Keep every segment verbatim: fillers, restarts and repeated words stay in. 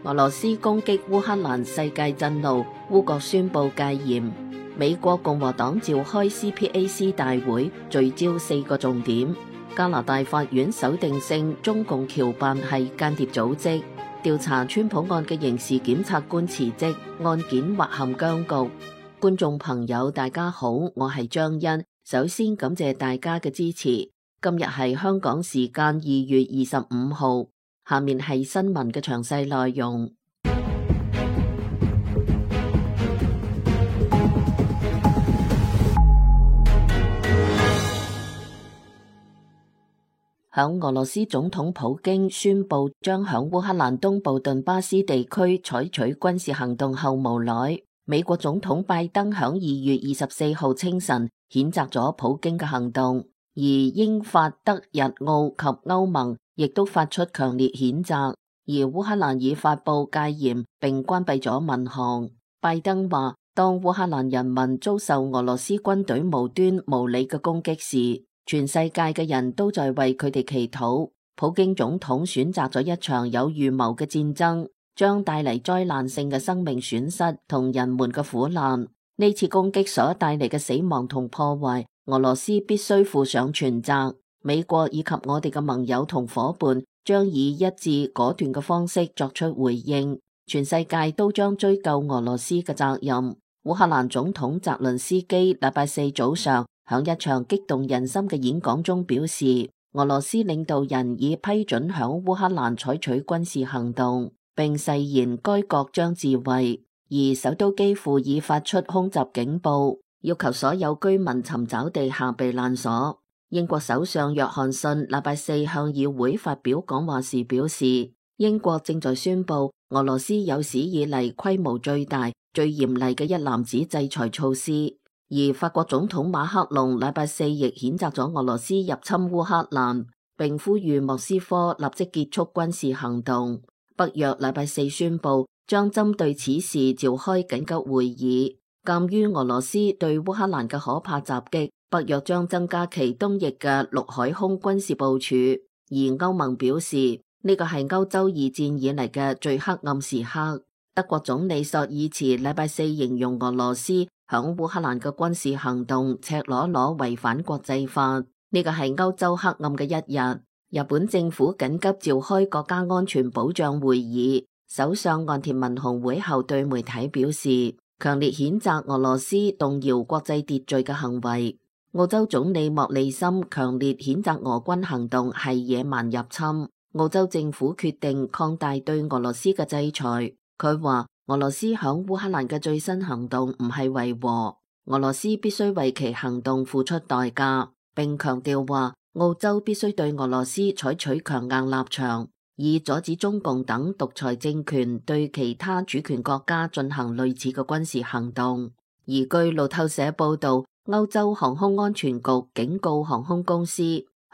俄羅斯攻擊烏克蘭，世界震怒，烏國宣布戒嚴。美國共和黨召開 C P A C 大會，聚焦四個重點。加拿大法院首定性中共僑辦係間諜組織。調查川普案嘅刑事檢察官辭職，案件或陷僵局。觀眾朋友大家好，我係張欣。首先感謝大家嘅支持。今日係香港時間二月二十五號，下面係新聞嘅詳細內容。響俄羅斯總統普京宣布將響烏克蘭東部頓巴斯地區採取軍事行動後無耐，美國總統拜登響二月二十四號清晨譴責咗普京嘅行動，而英法德日澳及歐盟亦都發出強烈譴責，而烏克蘭已發布戒嚴並關閉咗民航。拜登話，當烏克蘭人民遭受俄羅斯軍隊無端無理嘅攻擊時，全世界嘅人都在為佢哋祈禱。普京總統選擇咗一場有預謀嘅戰爭，將帶嚟災難性嘅生命損失同人們嘅苦難。呢次攻擊所帶嚟嘅死亡同破壞，俄羅斯必須負上全責。美國以及我哋嘅盟友同夥伴將以一致果斷嘅方式作出回應。全世界都將追究俄羅斯嘅責任。烏克蘭總統澤倫斯基禮拜四早上響一場激動人心嘅演講中表示，俄羅斯領導人已批准響烏克蘭採取軍事行動，並誓言該國將自衛。而首都基輔已發出空襲警報，要求所有居民尋找地下避難所。英國首相約翰遜禮拜四向議會發表講話時表示，英國正在宣布俄羅斯有史以嚟規模最大、最嚴厲嘅一籃子制裁措施。而法國總統馬克龍禮拜四亦譴責咗俄羅斯入侵烏克蘭，並呼籲莫斯科立即結束軍事行動。北約禮拜四宣布將針對此事召開緊急會議。鑒於俄羅斯對烏克蘭嘅可怕襲擊，北約將增加其東翼嘅陸海空軍事部署。而歐盟表示，呢個係歐洲二戰以嚟嘅最黑暗時刻。德國總理朔爾茨禮拜四形容俄羅斯響烏克蘭嘅軍事行動赤裸裸違反國際法，呢個係歐洲黑暗嘅一日。日本政府緊急召開國家安全保障會議，首相岸田文雄會後對媒體表示，強烈譴責俄羅斯動搖國際秩序嘅行為。澳洲總理莫里森強烈譴責俄軍行動係野蠻入侵，澳洲政府決定擴大對俄羅斯嘅制裁。佢話，俄羅斯響烏克蘭嘅最新行動唔係維和，俄羅斯必須為其行動付出代價，並強調話澳洲必須對俄羅斯採取強硬立場，以阻止中共等獨裁政權對其他主權國家進行類似嘅軍事行動。而據路透社報道，歐洲航空安全局警告航空公司，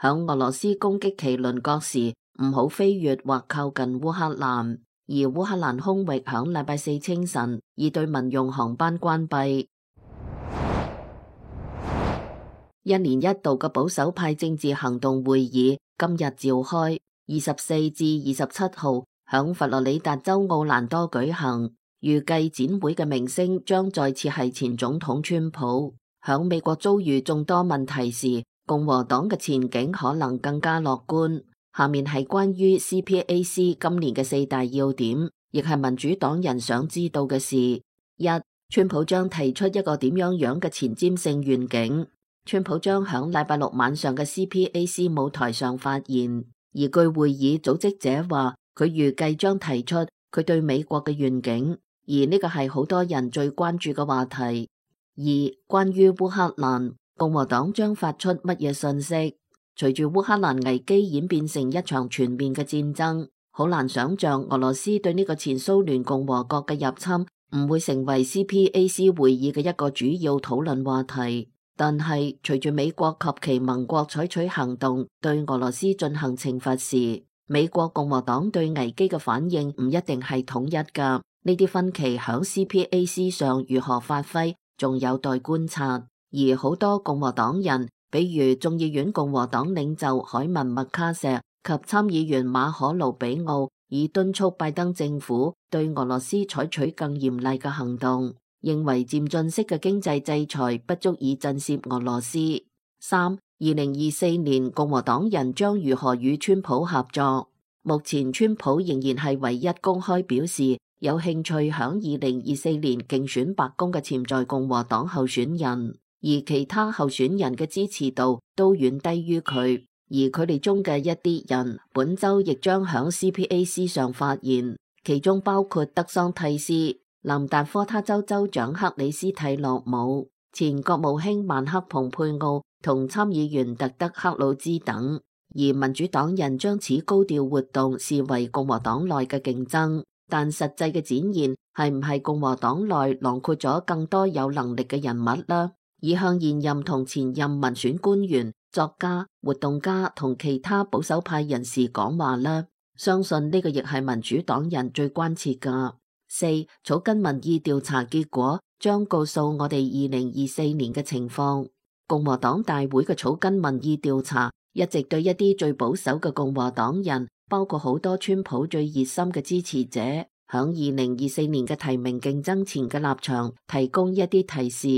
響俄羅斯攻擊其鄰國時唔好飛越或靠近烏克蘭。而烏克蘭空域響禮拜四清晨已對民用航班關閉。一年一度嘅保守派政治行動會議今日召開，二十四至二十七號響佛羅里達州奧蘭多舉行。預計展會嘅明星將再次係前總統川普。響美國遭遇眾多問題時，共和黨嘅前景可能更加樂觀。下面係關於 C P A C 今年嘅四大要點，亦係民主黨人想知道嘅事。一、川普將提出一個點樣樣嘅前瞻性願景。川普將響禮拜六晚上嘅 C P A C 舞台上發言，而據會議組織者話，佢預計將提出佢對美國嘅願景，而呢個係好多人最關注嘅話題。二、關於烏克蘭，共和黨將發出乜嘢信息？隨住烏克蘭危機演變成一場全面嘅戰爭，好難想象俄羅斯對呢個前蘇聯共和國嘅入侵唔會成為 C P A C 會議嘅一個主要討論話題。但係隨住美國及其盟國採取行動對俄羅斯進行懲罰時，美國共和黨對危機嘅反應唔一定係統一噶。呢啲分歧響 C P A C 上如何發揮，仲有待觀察。而好多共和黨人，比如眾議院共和黨領袖凱文麥卡錫及參議員馬可盧比奧，以敦促拜登政府對俄羅斯採取更嚴厲嘅行動，認為漸進式嘅經濟制裁不足以震懾俄羅斯。三、二零二四年共和黨人將如何與川普合作？目前川普仍然係唯一公開表示有興趣響二零二四年競選白宮嘅潛在共和黨候選人，而其他候選人嘅支持度都遠低於佢，而佢哋中嘅一啲人本周亦將響 C P A C 上發言，其中包括德桑蒂斯、南達科他州州長克里斯蒂諾姆、前國務卿曼克蓬佩奧同參議員特德克魯茲等。而民主黨人將此高調活動視為共和黨內嘅競爭，但實際嘅展現係唔係共和黨內囊括咗更多有能力嘅人物呢？以向現任同前任民選官員、作家、活動家同其他保守派人士講話呢？相信呢個亦係民主黨人最關切㗎。四、草根民意調查結果將告訴我哋二零二四年嘅情況。共和黨大會嘅草根民意調查一直對一啲最保守嘅共和黨人，包括好多川普最熱心嘅支持者，響二零二四年嘅提名競爭前嘅立場提供一啲提示。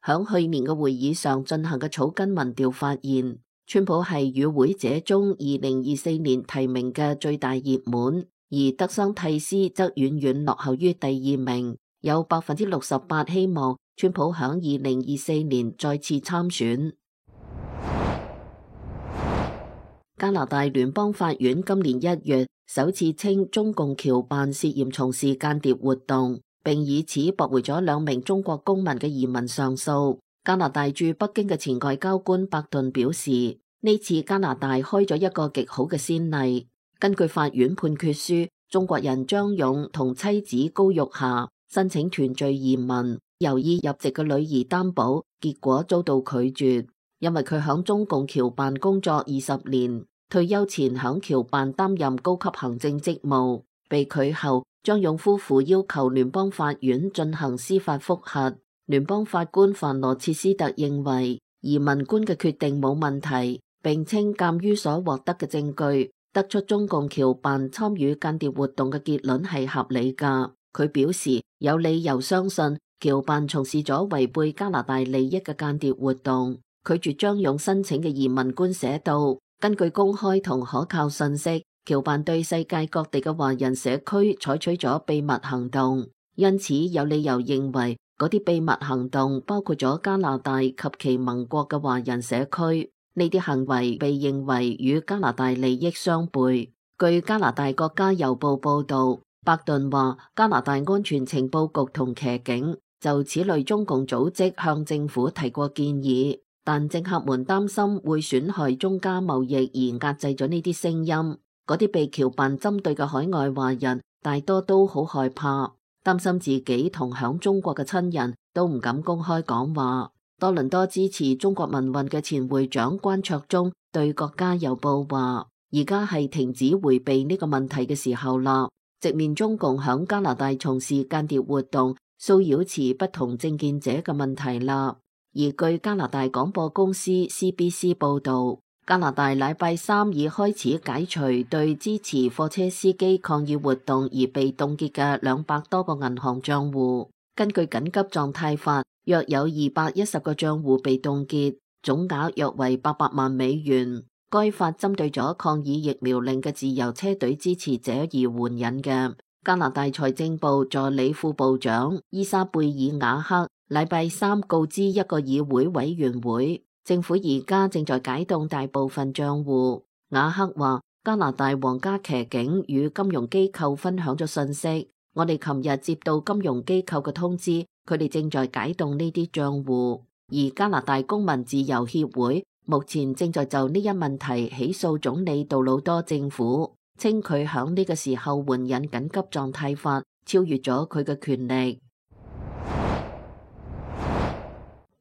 響去年嘅會議上進行嘅草根民調發現，川普係與會者中二零二四年提名嘅最大熱門，而德桑蒂斯則遠遠落後於第二名，有百分之六十八希望川普響二零二四年再次參選。加拿大聯邦法院今年一月首次稱中共僑辦涉嫌從事間諜活動，並以此駁回咗兩名中國公民嘅移民上訴。加拿大駐北京嘅前外交官伯頓表示，呢次加拿大開咗一個極好嘅先例。根據法院判決書，中國人張勇同妻子高玉霞申請團聚移民，由以入籍嘅女兒擔保，結果遭到拒絕。因為佢響中共僑辦工作二十年，退休前響僑辦擔任高級行政職務，被拒後，張勇夫婦要求聯邦法院進行司法覆核。聯邦法官范羅切斯特認為移民官嘅決定冇問題，並稱鑑於所獲得嘅證據，得出中共僑辦參與間諜活動嘅結論係合理㗎。佢表示有理由相信僑辦從事咗違背加拿大利益嘅間諜活動。拒絕張勇申請嘅移民官寫道，根據公開同可靠信息，僑辦對世界各地嘅華人社區採取咗秘密行動，因此有理由認為嗰啲秘密行動包括咗加拿大及其盟國嘅華人社區。呢啲行為被認為與加拿大利益相悖。據加拿大國家郵報報道，伯頓話加拿大安全情報局同騎警就此類中共組織向政府提過建議，但政客們擔心會損害中加貿易而壓制咗呢啲聲音。嗰啲被僑辦針對嘅海外華人大多都好害怕，擔心自己同響中國嘅親人都唔敢公開講話。多倫多支持中國民運嘅前會長關卓忠對國家郵報話，而家係停止回避呢個問題嘅時候啦，直面中共響加拿大從事間諜活動、騷擾持不同政見者嘅問題啦。而據加拿大廣播公司 C B C 報導，加拿大禮拜三已開始解除對支持貨車司機抗議活動而被凍結嘅兩百多個銀行帳戶。根據緊急狀態法，約有二百一十個帳戶被凍結，總額約為八百萬美元。該法針對咗抗議疫苗令嘅自由車隊支持者而援引嘅。加拿大財政部助理副部長伊莎貝爾瓦克禮拜三告知一個議會委員會，政府而家正在解凍大部分賬戶。瓦克話，加拿大皇家騎警與金融機構分享咗信息，我哋琴日接到金融機構嘅通知，佢哋正在解凍呢啲賬戶。而加拿大公民自由協會目前正在就呢一問題起訴總理杜魯多政府，稱佢響呢個時候援引緊急狀態法，超越咗佢嘅權力。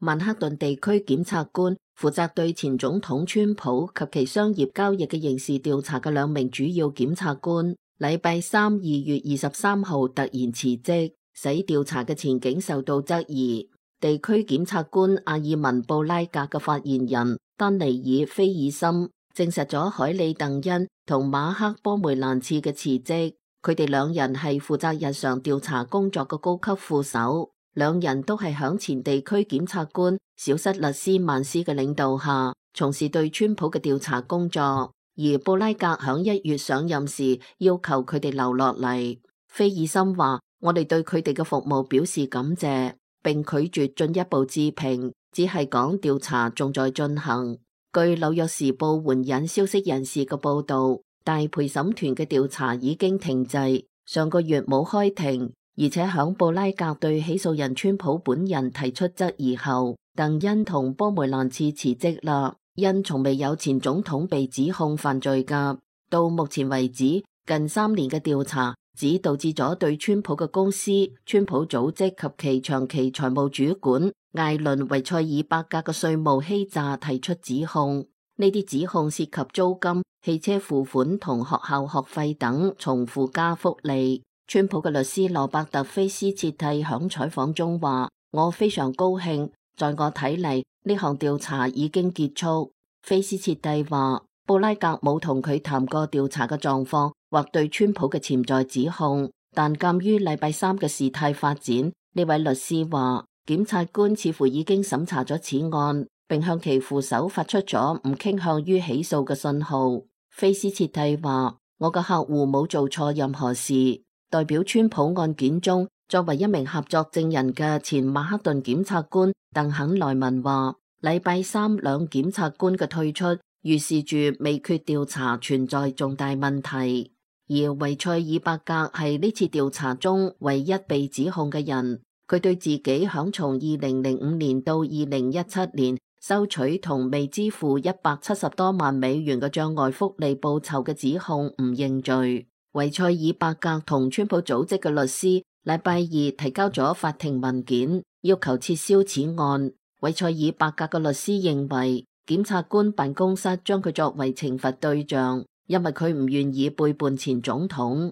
曼克頓地區檢察官負責對前總統川普及其商業交易嘅刑事調查嘅兩名主要檢察官，禮拜三二月二十三號突然辭職，使調查嘅前景受到質疑。地區檢察官阿爾文布拉格嘅發言人丹尼爾菲爾森證實咗海里鄧恩同馬克波梅蘭次嘅辭職。佢哋兩人係負責日常調查工作嘅高級副手，兩人都係響前地區檢察官小塞勒斯曼斯嘅領導下，從事對川普嘅調查工作。而布拉格響一月上任時，要求佢哋留落嚟。菲爾森話：我哋對佢哋嘅服務表示感謝，並拒絕進一步置評，只係講調查仲在進行。據紐約時報援引消息人士嘅報道，大陪審團嘅調查已經停滯，上個月冇開庭，而且響布拉格對起訴人川普本人提出質疑後，鄧恩同波梅蘭茨辭職啦。因從未有前總統被指控犯罪噶，到目前為止，近三年嘅調查只導致咗對川普嘅公司、川普組織及其長期財務主管艾倫維塞爾伯格嘅稅務欺詐提出指控。呢啲指控涉及租金、汽車付款同學校學費等從附加福利。川普嘅律師羅伯特菲斯切蒂響採訪中話：我非常高興，在我睇嚟，呢項調查已經結束。菲斯切蒂話：布拉格冇同佢談過調查嘅狀況或對川普嘅潛在指控，但鑒於禮拜三嘅事態發展，呢位律師話檢察官似乎已經審查咗此案，並向其副手發出咗唔傾向於起訴嘅信號。菲斯切蒂話：我嘅客戶冇做錯任何事。代表川普案件中作為一名合作證人嘅前曼克頓檢察官鄧肯萊文話：禮拜三兩檢察官嘅退出，預示住未決調查存在重大問題。而維塞爾伯格係呢次調查中唯一被指控嘅人，佢對自己響從二零零五年到二零一七年收取同未支付一百七十多萬美元嘅障礙福利報酬嘅指控唔認罪。維塞爾伯格同川普組織嘅律師禮拜二提交咗法庭文件，要求撤銷此案。維塞爾伯格嘅律師認為，檢察官辦公室將佢作為懲罰對象，因為佢唔願意背叛前總統。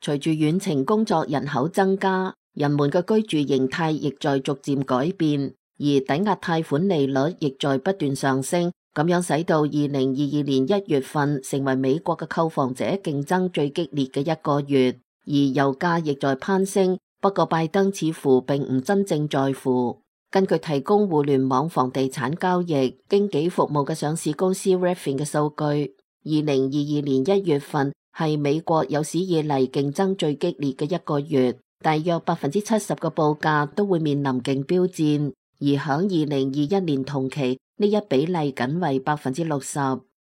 隨住遠程工作人口增加，人們嘅居住形態亦在逐漸改變，而抵押貸款利率亦在不斷上升。咁樣使到二零二二年一月份成為美國嘅購房者競爭最激烈嘅一個月，而油價亦在攀升。不過拜登似乎並唔真正在乎。根據提供互聯網房地產交易經紀服務嘅上市公司 Redfin 嘅數據，二零二二年一月份係美國有史以嚟競爭最激烈嘅一個月，大約百分之七十嘅報價都會面臨競標戰，而響二零二一年同期，呢一比例僅為百分之六十。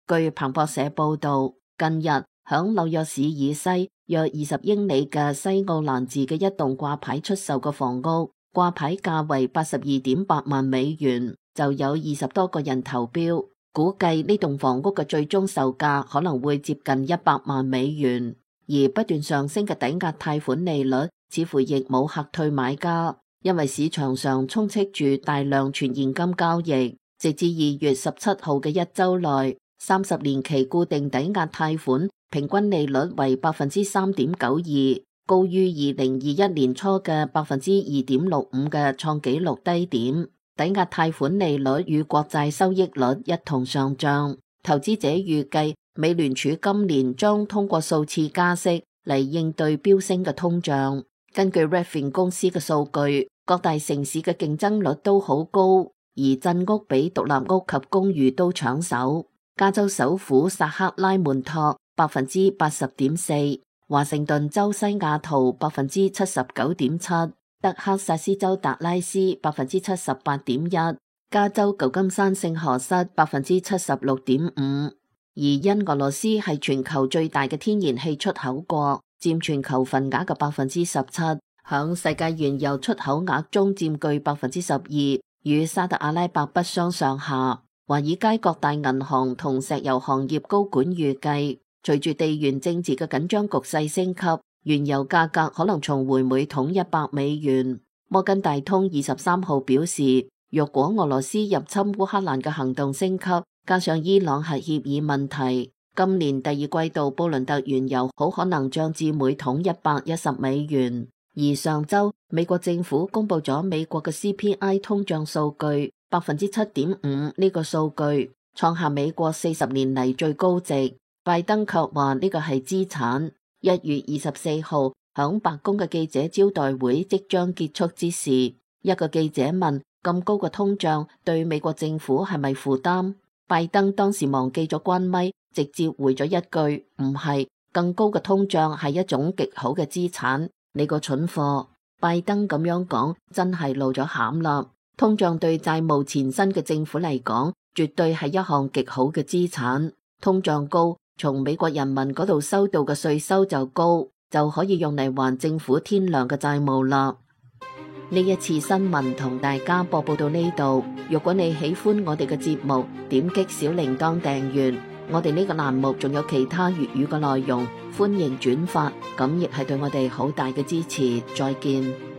據彭博社報道，近日響紐約市以西約二十英里嘅西奧蘭治嘅一棟掛牌出售嘅房屋，掛牌價為八十二點八萬美元，就有二十多個人投標，估計呢棟房屋嘅最終售價可能會接近一百萬美元。而不斷上升嘅抵押貸款利率似乎亦冇嚇退買家，因為市場上充斥住大量全現金交易。直至二月十七號嘅一周內，三十年期固定抵押貸款平均利率為百分之三點九二，高於二零二一年初嘅百分之二點六五嘅創紀錄低點。抵押貸款利率與國債收益率一同上漲。投資者預計美聯儲今年將通過數次加息嚟應對飆升嘅通脹。根據 Redfin 公司嘅數據，各大城市嘅競爭率都好高。而鎮屋比獨立屋及公寓都搶手，加州首府薩克拉門托百分之八十點四，華盛頓州西雅圖百分之七十九點七，德克薩斯州達拉斯百分之七十八點一，加州舊金山聖荷瑟百分之七十六點五。而因俄羅斯係全球最大嘅天然氣出口國，佔全球份額嘅百分之十七，響世界原油出口額中佔據百分之十二。與沙特阿拉伯不相上下。華爾街各大銀行同石油行業高管預計，隨住地緣政治嘅緊張局勢升級，原油價格可能重回每桶一百美元。摩根大通二十三號表示，若果俄羅斯入侵烏克蘭嘅行動升級，加上伊朗核協議問題，今年第二季度布倫特原油好可能漲至每桶一百一十美元。而上周美國政府公布咗美國嘅 C P I 通脹數據百分之七點五，呢個數據創下美國四十年嚟最高值。拜登卻話呢個係資產。一月二十四號，響白宮嘅記者招待會即將結束之時，一個記者問：咁高嘅通脹對美國政府係咪負擔？拜登當時忘記咗關咪，直接回咗一句：唔係，更高嘅通脹係一種極好嘅資產。你個蠢貨！拜登咁樣講，真係露咗餡啦。通脹對債務纏身嘅政府嚟講，絕對係一項極好嘅資產。通脹高，從美國人民嗰度收到嘅稅收就高，就可以用嚟還政府天良嘅債務啦。呢一次新聞同大家播報到呢度。如果你喜歡我哋嘅節目，點擊小鈴鐺訂閱。我哋呢個欄目仲有其他粵語嘅內容，歡迎轉發，咁亦係對我哋好大嘅支持。再見。